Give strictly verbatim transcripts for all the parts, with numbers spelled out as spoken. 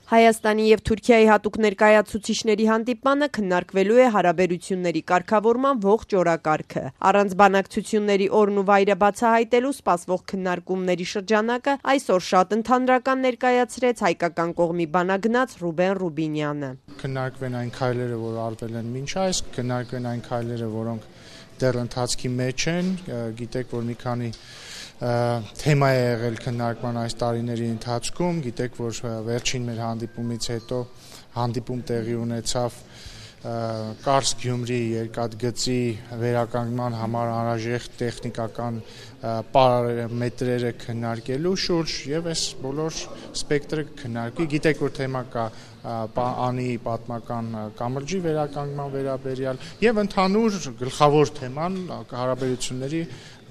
Հայաստանի և Թուրքիայի հատուկ ներկայացուցիչների հանդիպմանը քննարկվելու է հարաբերությունների կարգավորման ողջ օրակարգը։ Առանց բանակցությունների օրն ու վայրը բացահայտելու սպասվող քննարկումների շրջանակը այսօր շատ ընդհանրական ներկայացրեց հայկական կողմի բանագնաց Ռուբեն Ռուբինյանը։ Քննարկվեն այն քայլերը, որ արվել են մինչ այս, քննարկվեն այն քայլերը, որոնք դեռ ընթացքի մեջ են, գիտեք, որ մի քանի թեմա է եղել քննարկման այս տարիների ընթացքում, գիտեք, որ վերջին մեր հանդիպումից հետո հանդիպում տեղի ունեցավ Կարս-Գյումրի երկաթգծի վերականգնման համար անհրաժեշտ տեխնիկական պարամետրերը քննարկելու շուրջ եւ այս բոլոր սպեկտրը քննարկի, գիտեք, որ թեմա կա անի պատմական կամրջի վերականգնման վերաբերյալ եւ ընդհանուր գլխավոր թեման հարաբերությունների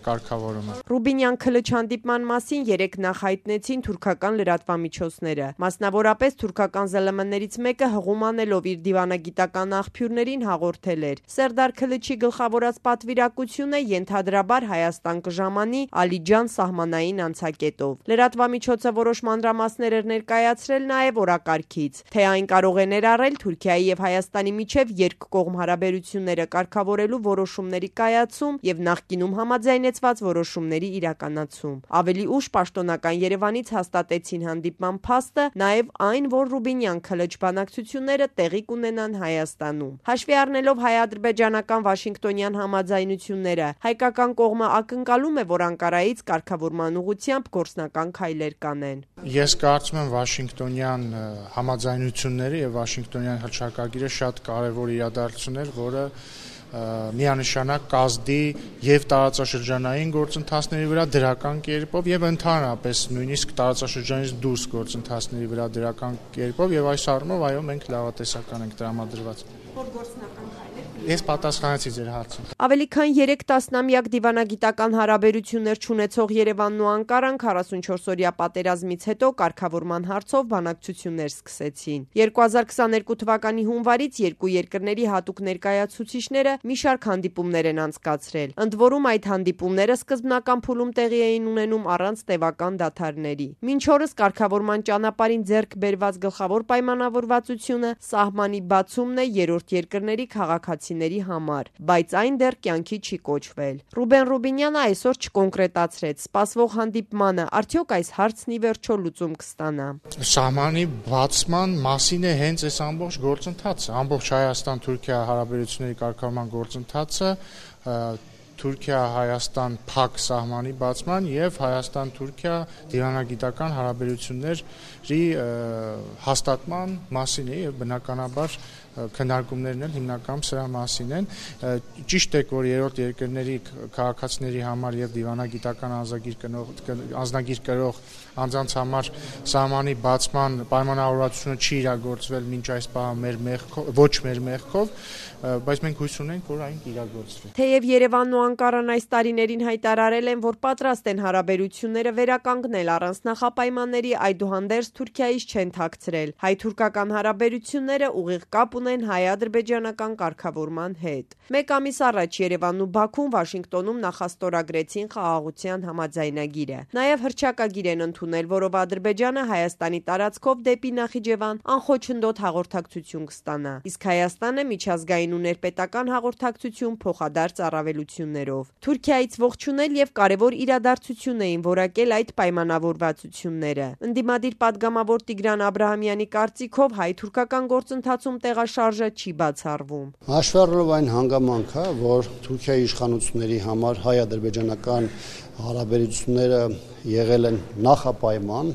կարգավորումը։ Ռուբինյան Քլիչ հանդիպման մասին երեք նախ հայտնեցին թուրքական լրատվամիջոցները, մասնավորապես թուրքական զել էմ էներից մեկը հղում անելով իր դիվանագիտական աղբյուրներին հաղորդել էր. Սերդար Քլիչի գլխավորած պատվիրակությունը ենթադրաբար Հայաստան կժամանի Ալիջան սահմանային անցակետով։ Լրատվամիջոցը որոշ մանրամասներ էր ներկայացրել նաև օրակարգից, թե այն կարող է ներառել Թուրքիայի եւ Հայաստանի միջև երկկողմ հարաբերությունները կարգավորելու որոշումների կայացում եւ նախկինում համաձայնեց որոշումների իրականացում։ Ավելի ուշ պաշտոնական Երևանից հաստատեցին հանդիպման փաստը նաև այն, որ Ռուբինյան Քլիչ բանակցությունները տեղի կունենան Հայաստանում։ Հաշվի առնելով հայ-ադրբեջանական Վաշինգտոնյան համաձայնությունները, հայկական կողմը ակնկալում է, որ Անկարայից կարգավորման ուղղությամբ գործնական քայլեր կանեն։ Ես կարծում եմ Վաշինգտոնյան համաձայնությունները եւ Վաշինգտոնյան հռչակագիրը շատ կարեւոր իրադարձություն էր, որը միանշանակ կազդի եւ տարածաշրջանային գործընթացների վրա դրական կերպով եւ ընդհանրապես նույնիսկ տարածաշրջանից դուրս գործընթացների վրա դրական կերպով եւ այս առումով այո մենք լավատեսական ենք տրամադրված։ Որ գործնական քայլեր Ես պատասխանեցի ձեր հարցին։ Ավելի քան երեք տասնամյակ դիվանագիտական հարաբերություններ չունեցող Երևանն ու Անկարան քառասունչորսօրյա պատերազմից հետո կարգավորման հարցով բանակցություններ սկսեցին։ երկու հազար քսաներկու թվականի հունվարից երկու երկրների հատուկ ներկայացուցիչները մի շարք հանդիպումներ են անցկացրել։ Ընդ որում այդ հանդիպումները սկզբնական փուլում տեղի էին ունենում առանց տևական դադարների։ Մինչ օրս կարգավորման ճանապարհին ձեռք բերված գլխավոր պայմանավորվածությունը սահմանի բացումն է երրորդ երկրների քաղաքացիների համար, բայց այն դեռ կյանքի չի կոչվել։ Ռուբեն Ռուբինյանը այսօր չկոնկրետացրեց սպասվող հանդիպմանը, արդյոք այս հարցն ի վերջո լուծում կստանա։ Սահմանի բացման մասին է հենց այս ամբողջ գործընթացը, ամբողջ Հայաստան-Թուրքիա հարաբերությունների կարգավորման գործընթացը, Թուրքիա-Հայաստան փակ սահմանի բացման եւ Հայաստան-Թուրքիա դիվանագիտական հարաբերությունների հաստատման մասին է եւ բնականաբար քննարկումներն են հիմնականում սրա մասին են։ Ճիշտ է, որ երրորդ երկրների քաղաքացիների համար եւ դիվանագիտական անձնագիր կնող անձնագիր կրող անձանց համար սահմանի բացման պայմանավորվածությունը չի իրագործվել մինչ այս պահը մեր մեղքով, ոչ մեր մեղքով, բայց մենք հույս ունենք, որ այն կիրագործվի։ Թեև Երևանն ու Անկարան այս տարիներին հայտարարել են, որ պատրաստ են հարաբերությունները վերականգնել առանց նախապայմանների, այդուհանդերձ Թուրքիայից չեն թաքցրել։ Հայ-թուրքական հարաբերությունները ուղիղ կապ ունեն հայ-ադրբեջանական կարգավորման հետ։ Մեկ ամիս առաջ Երևանն ու Բաքուն Վաշինգտոնում նախաստորագրեցին խաղաղության համաձայնագիրը։ Նաև հռչակագիր են ընդունել, որով Ադրբեջանը Հայաստանի տարածքով դեպի Նախիջևան անխոչնդոտ հաղորդակցություն կստանա, իսկ Հայաստանը միջազգային ու ներպետական հաղորդակցություն փոխադարձ առավելություններով։ Թուրքիայից ողջունել եւ կարևոր իրադարձություն էին որակել այդ պայմանավորվածությունները։ Ընդդիմադիր падգամավոր Տիգրան Աբրահամյանի կարծիքով հայ-թուրքական գործընթացում տեղաշարժը չի բացառվում։ Հաշվի առնելով այն հանգամանքը, որ Թուրքիայի իշխանությունների համար հայ-ադրբեջանական հարաբերությունները եղել են նախապայման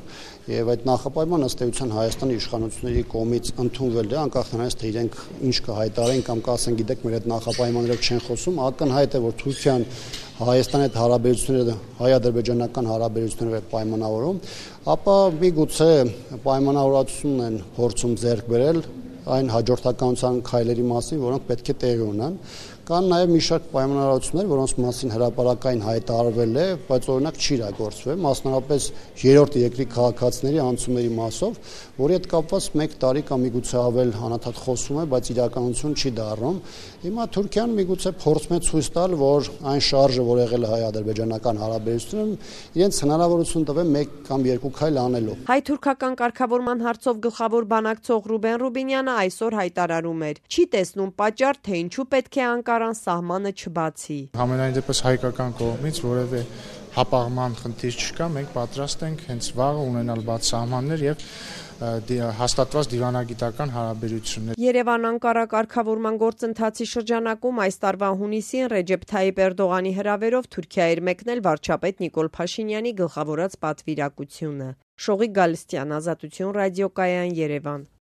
եւ այդ նախապայմանը ըստ էության Հայաստանի իշխանությունների կողմից ընդունվել է, անկախ նրանից թե իրենք ինչ կհայտարարեն կամ կասեն, գիտեք, մեր այդ նախապայմաններով չեն խոսում, ակնհայտ է, որ Թուրքիան Հայաստանի հետ հարաբերությունները հայ-ադրբեջանական հարաբերությունները պայմանավորում, ապա միգուցե պայմանավորվածություն են փորձում ձեռք բերել այն հաջորդականության քայլերի մասին, որոնք պետք է տեղի ունենան, Կան նաև մի շարք պայմանավորվածություններ, որոնց մասին հրապարակային հայտարարվել է, բայց օրինակ չի իրագործվել, մասնավորապես երրորդ երկրի քաղաքացիների անցումների մասով, որի հետ կապված մեկ տարի կամ միգուցե ավել անընդհատ խոսում է, բայց իրականություն չի դառնում։ Հիմա Թուրքիան միգուցե փորձում է ցույց տալ, որ այն շարժը, որ եղել է հայ-ադրբեջանական հարաբերությունում, իրենց հնարավորություն տվել մեկ կամ երկու քայլ անելու։ Հայ-թուրքական կարգավորման հարցով գլխավոր բանակցող Ռուբեն Ռուբինյանը այսօր հայտարարում էր. չի տեսնում պատճառ, թե ինչու պետք է Անկարան սահմանը չբացի։ Համենայն դեպս հայկական կողմից որևէ հապաղման խնդիր չկա, մենք պատրաստ ենք հենց վաղը ունենալ բաց սահմաններ եւ հաստատված դիվանագիտական հարաբերություններ։ Երևան-Անկարա կարգավորման գործընթացի շրջանակում այս տարվա հունիսին Ռեջեփ Թայիպ Էրդողանի հրավերով Թուրքիա էր մեկնել վարչապետ Նիկոլ Փաշինյանի գլխավորած պատվիրակությունը։ Շողիկ Գալստյան, Ազատություն ռադիոկայան, Երևան։